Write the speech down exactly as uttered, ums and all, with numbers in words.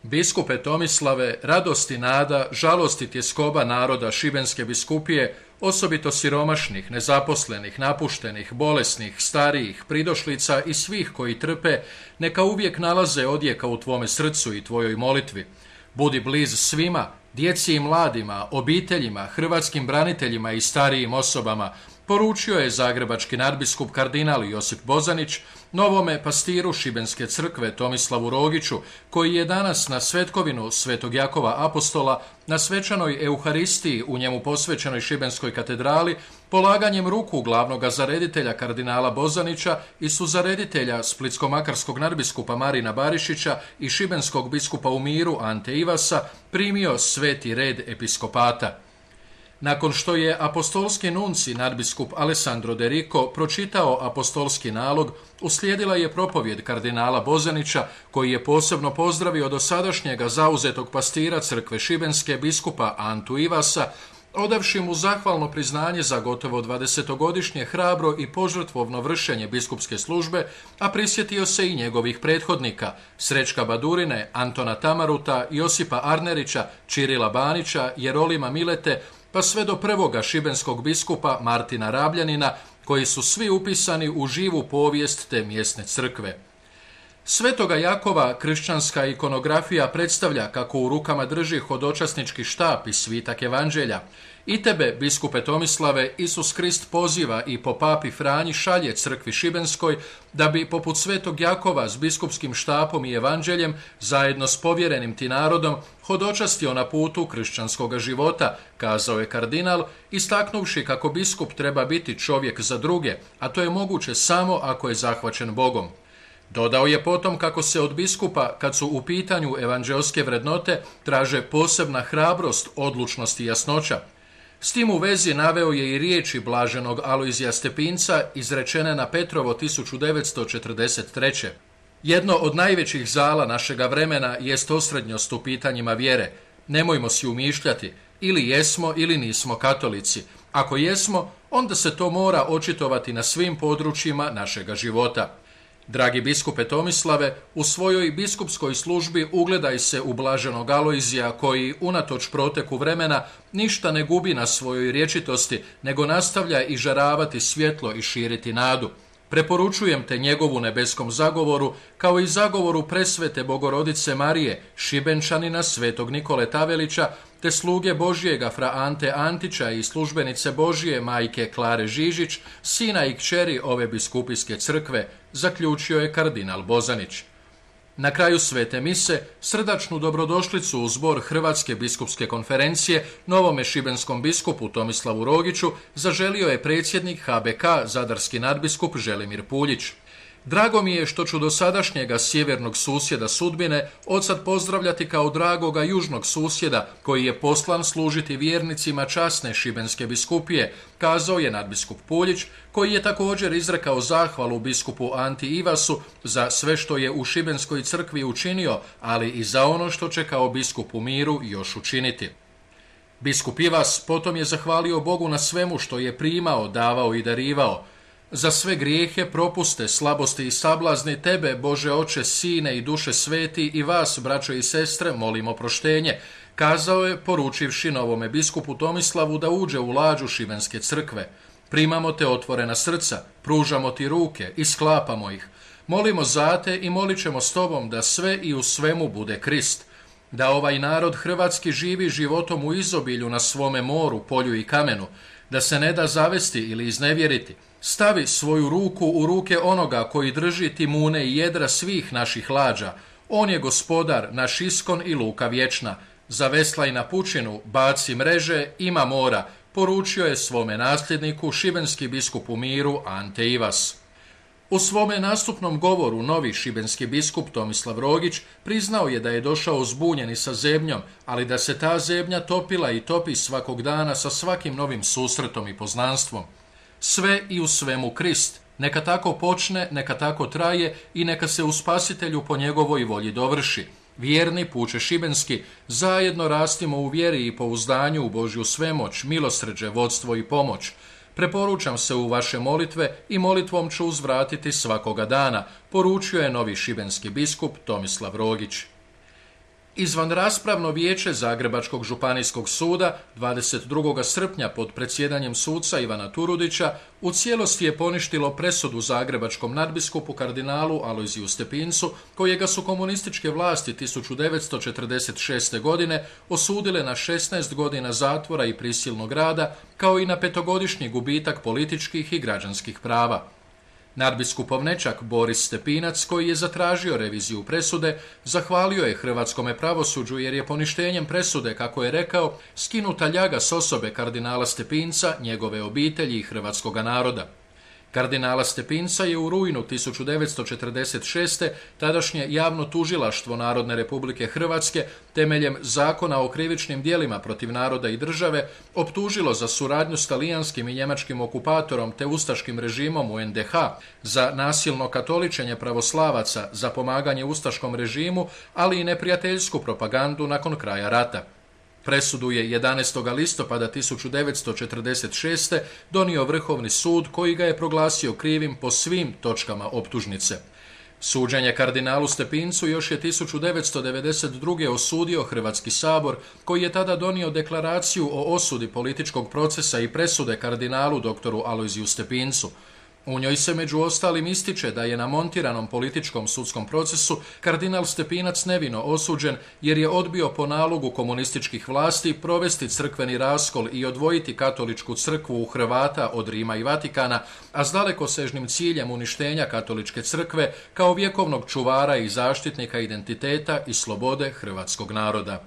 Biskupe Tomislave, radost i nada, žalost i tjeskoba naroda Šibenske biskupije, osobito siromašnih, nezaposlenih, napuštenih, bolesnih, starijih, pridošlica i svih koji trpe, neka uvijek nalaze odjeka u tvome srcu i tvojoj molitvi. Budi bliz svima, djeci i mladima, obiteljima, hrvatskim braniteljima i starijim osobama, poručio je zagrebački nadbiskup kardinal Josip Bozanić novome pastiru Šibenske crkve Tomislavu Rogiću, koji je danas na svetkovinu Svetog Jakova Apostola na svečanoj euharistiji u njemu posvećenoj Šibenskoj katedrali polaganjem ruku glavnoga zareditelja kardinala Bozanića i suzareditelja splitsko-makarskog nadbiskupa Marina Barišića i šibenskog biskupa u miru Ante Ivasa primio sveti red episkopata. Nakon što je apostolski nunci nadbiskup Alessandro De Rico pročitao apostolski nalog, uslijedila je propovjed kardinala Bozanića, koji je posebno pozdravio dosadašnjega zauzetog pastira crkve Šibenske biskupa Antu Ivasa, odavši mu zahvalno priznanje za gotovo dvadesetogodišnje hrabro i požrtvovno vršenje biskupske službe, a prisjetio se i njegovih prethodnika, Srećka Badurine, Antona Tamaruta, Josipa Arnerića, Čirila Banića, Jerolima Milete, pa sve do prvoga šibenskog biskupa Martina Rabljanina, koji su svi upisani u živu povijest te mjesne crkve. Svetoga Jakova kršćanska ikonografija predstavlja kako u rukama drži hodočasnički štap i svitak evanđelja. I tebe, biskupe Tomislave, Isus Krist poziva i po papi Franji šalje crkvi Šibenskoj da bi, poput svetog Jakova s biskupskim štapom i evanđeljem, zajedno s povjerenim ti narodom, hodočastio na putu kršćanskoga života, kazao je kardinal, istaknuvši kako biskup treba biti čovjek za druge, a to je moguće samo ako je zahvaćen Bogom. Dodao je potom kako se od biskupa, kad su u pitanju evanđelske vrednote, traže posebna hrabrost, odlučnost i jasnoća. S tim u vezi naveo je i riječi blaženog Alojzija Stepinca izrečene na Petrovo tisuću devetsto četrdeset treće. Jedno od najvećih zala našega vremena jest osrednjost u pitanjima vjere. Nemojmo si umišljati, ili jesmo ili nismo katolici. Ako jesmo, onda se to mora očitovati na svim područjima našega života. Dragi biskupe Tomislave, u svojoj biskupskoj službi ugledaj se u blaženog Alojzija koji, unatoč proteku vremena, ništa ne gubi na svojoj rječitosti, nego nastavlja i žaravati svjetlo i širiti nadu. Preporučujem te njegovu nebeskom zagovoru, kao i zagovoru presvete Bogorodice Marije, Šibenčanina svetog Nikole Tavelića, te sluge Božjega fra Ante Antića i službenice Božje majke Klare Žižić, sina i kćeri ove biskupijske crkve, zaključio je kardinal Bozanić. Na kraju svete mise srdačnu dobrodošlicu u zbor Hrvatske biskupske konferencije novome šibenskom biskupu Tomislavu Rogiću zaželio je predsjednik H B K zadarski nadbiskup Želimir Puljić. Drago mi je što ću dosadašnjega sjevernog susjeda sudbine odsad pozdravljati kao dragoga južnog susjeda koji je poslan služiti vjernicima časne šibenske biskupije, kazao je nadbiskup Puljić, koji je također izrekao zahvalu biskupu Anti Ivasu za sve što je u Šibenskoj crkvi učinio, ali i za ono što će kao biskup u miru još učiniti. Biskup Ivas potom je zahvalio Bogu na svemu što je primao, davao i darivao. Za sve grijehe, propuste, slabosti i sablazni tebe, Bože Oče, Sine i Duše Sveti, i vas, braćo i sestre, molimo proštenje, kazao je, poručivši novome biskupu Tomislavu da uđe u lađu Šibenske crkve. Primamo te otvorena srca, pružamo ti ruke i sklapamo ih. Molimo za te i molit ćemo s tobom da sve i u svemu bude Krist. Da ovaj narod hrvatski živi životom u izobilju na svome moru, polju i kamenu, da se ne da zavesti ili iznevjeriti. Stavi svoju ruku u ruke onoga koji drži timune i jedra svih naših lađa. On je gospodar, naš iskon i luka vječna. Zaveslaj na pučinu, baci mreže, ima mora, poručio je svome nasljedniku šibenski biskup u miru Ante Ivas. U svome nastupnom govoru novi šibenski biskup Tomislav Rogić priznao je da je došao zbunjen i sa zebnjom, ali da se ta zebnja topila i topi svakog dana sa svakim novim susretom i poznanstvom. Sve i u svemu Krist. Neka tako počne, neka tako traje i neka se u Spasitelju po njegovoj volji dovrši. Vjerni puče šibenski, zajedno rastimo u vjeri i pouzdanju u Božju svemoć, milosrđe, vodstvo i pomoć. Preporučam se u vaše molitve i molitvom ću uzvratiti svakoga dana, poručio je novi šibenski biskup Tomislav Rogić. Izvanraspravno vijeće Zagrebačkog županijskog suda dvadeset drugog srpnja pod predsjedanjem suca Ivana Turudića u cijelosti je poništilo presudu zagrebačkom nadbiskupu kardinalu Alojziju Stepincu, kojega su komunističke vlasti tisuću devetsto četrdeset šeste. godine osudile na šesnaest godina zatvora i prisilnog rada, kao i na petogodišnji gubitak političkih i građanskih prava. Nadbiskupov nećak Boris Stepinac, koji je zatražio reviziju presude, zahvalio je hrvatskome pravosuđu jer je poništenjem presude, kako je rekao, skinuta ljaga s osobe kardinala Stepinca, njegove obitelji i hrvatskoga naroda. Kardinala Stepinca je u rujnu tisuću devetsto četrdeset šeste. tadašnje javno tužilaštvo Narodne Republike Hrvatske temeljem Zakona o krivičnim djelima protiv naroda i države optužilo za suradnju s talijanskim i njemačkim okupatorom te ustaškim režimom u en de ha, za nasilno katoličenje pravoslavaca, za pomaganje ustaškom režimu, ali i neprijateljsku propagandu nakon kraja rata. Presudu je jedanaestog listopada tisuću devetsto četrdeset šeste. donio Vrhovni sud, koji ga je proglasio krivim po svim točkama optužnice. Suđenje kardinalu Stepincu još je tisuću devetsto devedeset druge. osudio Hrvatski sabor, koji je tada donio deklaraciju o osudi političkog procesa i presude kardinalu doktoru Alojziju Stepincu. U njoj se među ostalim ističe da je na montiranom političkom sudskom procesu kardinal Stepinac nevino osuđen jer je odbio po nalogu komunističkih vlasti provesti crkveni raskol i odvojiti katoličku crkvu u Hrvata od Rima i Vatikana, a s dalekosežnim ciljem uništenja katoličke crkve kao vjekovnog čuvara i zaštitnika identiteta i slobode hrvatskog naroda.